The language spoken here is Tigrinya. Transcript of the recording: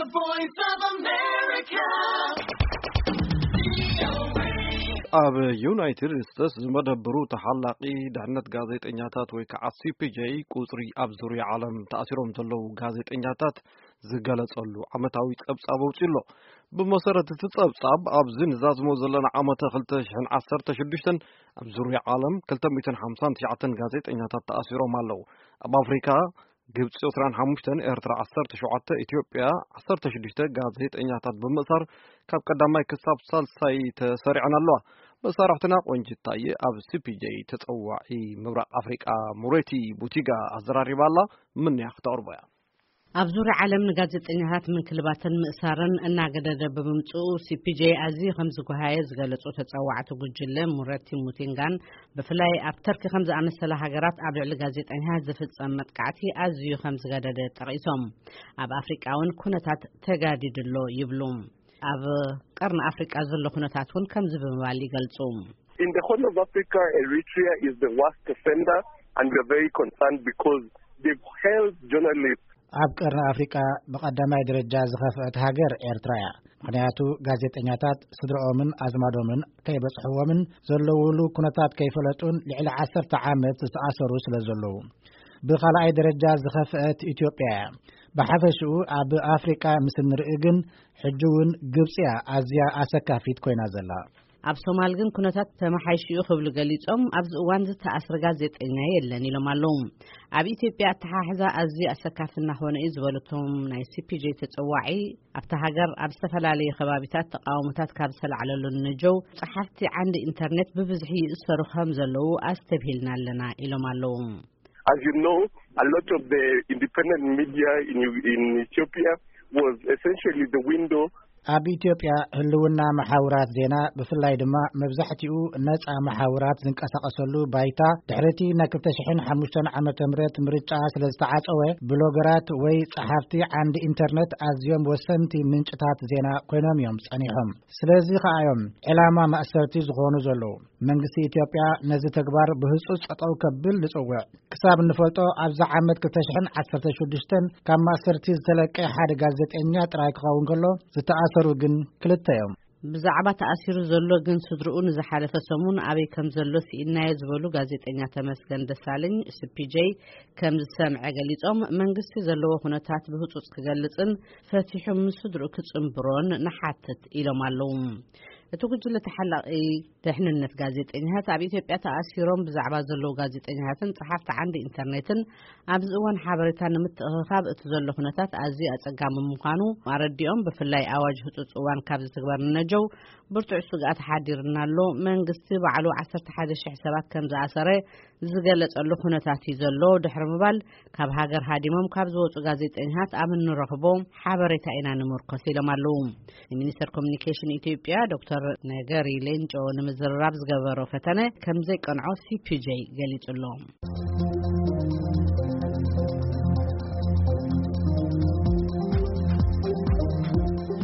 The Voice of America. ኣብ ዩናይትድ ስቴትስ ዝመደብሩ ተሓላቒ ድሕነት ጋዜጠኛታት ወይ ከዓ ሲ ፒ ጄ ቁፅሪ ኣብ ዙርያ ዓለም ተኣሲሮም ዘለዉ ጋዜጠኛታት ዝገለጸሉ ዓመታዊ ጸብጻብ ኣውጺኡ ኣሎ። ብመሰረት እቲ ጸብጻብ፣ ኣብዚ ንዛዝሞ ዘለና ዓመተ ክልተ ሽሕን ዓሰርተ ሽዱሽተን ኣብ ዙርያ ዓለም ክልተ ሚእትን ሓምሳን ትሽዓተን ጋዜጠኛታት ተኣሲሮም ኣለዉ። ኣብ ኣፍሪካ፣ ግብጺ ዕስራን ሓሙሽተን፣ ኤርትራ ዓሰርተ ሸውዓተ፣ ኢትዮጵያ ዓሰርተ ሽዱሽተ ጋዜጠኛታት ብምእሳር ካብ ቀዳማይ ክሳብ ሳልሳይ ተሰሪዐን ኣለዋ። መሳርሕትና ቆንጅት ታየ ኣብ ሲ ፒ ጄ ተጸዋዒ ምብራቕ ኣፍሪቃ ሙሬቲ ቡቲጋ ኣዘራሪባ ኣላ። ምንያ ክተቕርቦ እያ። ኣብ ዙርያ ዓለም ንጋዜጠኛታት ምንክልባትን ምእሳርን እናገደደ ብምምጽኡ፣ ሲ ፒ ጄ ኣዝዩ ከም ዝጓሃየ ዝገለጹ ተጸዋዕቲ ጉጅለ ሙረቲ ሙቲንጋን፣ ብፍላይ ኣብ ተርኪ ከም ዝኣመሰላ ሃገራት ኣብ ልዕሊ ጋዜጠኛታት ዝፍጸም መጥቃዕቲ ኣዝዩ ከም ዝገደደ ጠቒሶም፣ ኣብ ኣፍሪቃ እውን ኩነታት ተጋዲዱ ኣሎ ይብሉ። ኣብ ቀርኒ ኣፍሪቃ ዘሎ ኩነታት እውን ከምዚ ብምባል ይገልጹ። In the Horn of Africa, Eritrea is the worst offender, and we are very concerned because they've held journalists. ኣብ ቀርኒ ኣፍሪቃ ብቐዳማይ ደረጃ ዝኸፍአት ሃገር ኤርትራ እያ። ምኽንያቱ፣ ጋዜጠኛታት ስድራኦምን ኣዝማዶምን ከይበጽሕዎምን ዘለውሉ ኩነታት ከይፈለጡን ልዕሊ ዓሰርተ ዓመት ዝተኣሰሩ ስለ ዘለዉ። ብኻልኣይ ደረጃ ዝኸፍአት ኢትዮጵያ እያ። ብሓፈሽኡ ኣብ ኣፍሪቃ ምስ እንርኢ ግን፣ ሕጂ እውን ግብጺ እያ ኣዝያ ኣሰካፊት ኮይና ዘላ። ኣብ ሶማል ግን ኩነታት ተመሓይሹ እዩ ክብሉ ገሊጾም፣ ኣብዚ እዋን ዝተኣስረ ጋዜጠኛ የለን ኢሎም ኣለዉ። ኣብ ኢትዮጵያ ኣተሓሕዛ ኣዝዩ ኣሰካፊ እናኾነ እዩ ዝበሉ እቶም ናይ ሲ ፒ ጄ ተጸዋዒ፣ ኣብታ ሃገር ኣብ ዝተፈላለዩ ከባቢታት ተቃውሞታት ካብ ዝተላዕለሉ ንጀው፣ ጸሓፍቲ ዓንዲ ኢንተርኔት ብብዝሒ ይእሰሩ ከም ዘለዉ ኣስተብሂልና ኣለና ኢሎም ኣለዉ። As you know, a lot of the independent media in, in Ethiopia was essentially the window. ኣብ ኢትዮጵያ ህልውና መሓውራት ዜና፣ ብፍላይ ድማ መብዛሕትኡ ነጻ መሓውራት ዝንቀሳቐሰሉ ባይታ፣ ድሕሪ እቲ ናይ ክልተ ሽሕን ሓሙሽተን ዓመተ ምህረት ምርጫ ስለ ዝተዓጸወ፣ ብሎገራት ወይ ጸሓፍቲ ዓንዲ ኢንተርኔት ኣዝዮም ወሰንቲ ምንጭታት ዜና ኮይኖም እዮም ጸኒሖም። ስለዚ ከኣ እዮም ዕላማ ማእሰርቲ ዝኾኑ ዘለዉ። መንግስቲ ኢትዮጵያ ነዚ ተግባር ብህጹጽ ጠጠው ከብል ንጽውዕ። ክሳብ እንፈልጦ፣ ኣብዚ ዓመት ክልተ ሽሕን ዓሰርተ ሽዱሽተን ካብ ማእሰርቲ ዝተለቀ ሓደ ጋዜጠኛ ጥራይ ክኸውን ከሎ፣ ዝተኣሰሩ ግን ክልተ እዮም። ብዛዕባ ተኣሲሩ ዘሎ ግን ስድርኡ ንዝሓለፈ ሰሙን ኣበይ ከም ዘሎ ስኢናዮ ዝበሉ ጋዜጠኛ ተመስገን ደሳለኝ፣ ሲ ፒ ጄ፣ ከም ዝሰምዐ ገሊጾም፣ መንግስቲ ዘለዎ ኩነታት ብህጹጽ ክገልጽን ፈቲሑ ምስ ስድርኡ ክጽንብሮን ንሓትት ኢሎም ኣለዉ። እቲ ጉጅለ ተሓላቒ ደሕንነት ጋዜጠኛታት ኣብ ኢትዮጵያ ተኣሲሮም ብዛዕባ ዘለዉ ጋዜጠኛታትን ጸሓፍቲ ዓንዲ ኢንተርኔትን ኣብዚ እዋን ሓበሬታ ንምትእኽኻብ እቲ ዘሎ ኩነታት ኣዝዩ ኣጸጋሚ ምዃኑ ኣረዲኦም፣ ብፍላይ ኣዋጅ ህጹጽ እዋን ካብ ዝትግበር ንነጀው ብርቱዕ ስግኣት ሓዲርና ኣሎ። መንግስቲ ባዕሉ ዓሰርተ ሓደ ሽሕ ሰባት ከም ዝኣሰረ ዝገለጸሉ ኩነታት እዩ ዘሎ ድሕሪ ምባል፣ ካብ ሃገር ሃዲሞም ካብ ዝወጹ ጋዜጠኛታት ኣብ እንረኽቦ ሓበሬታ ኢና ንምርኮስ ኢሎም ኣለዉ። ንሚኒስተር ኮሚኒኬሽን ኢትዮጵያ ዶክተር ነገሪ ሌንጮ ንምዝርራብ ዝገበሮ ፈተነ ከም ዘይቀንዖ ሲ ፒ ጄ ገሊጹ ኣሎ።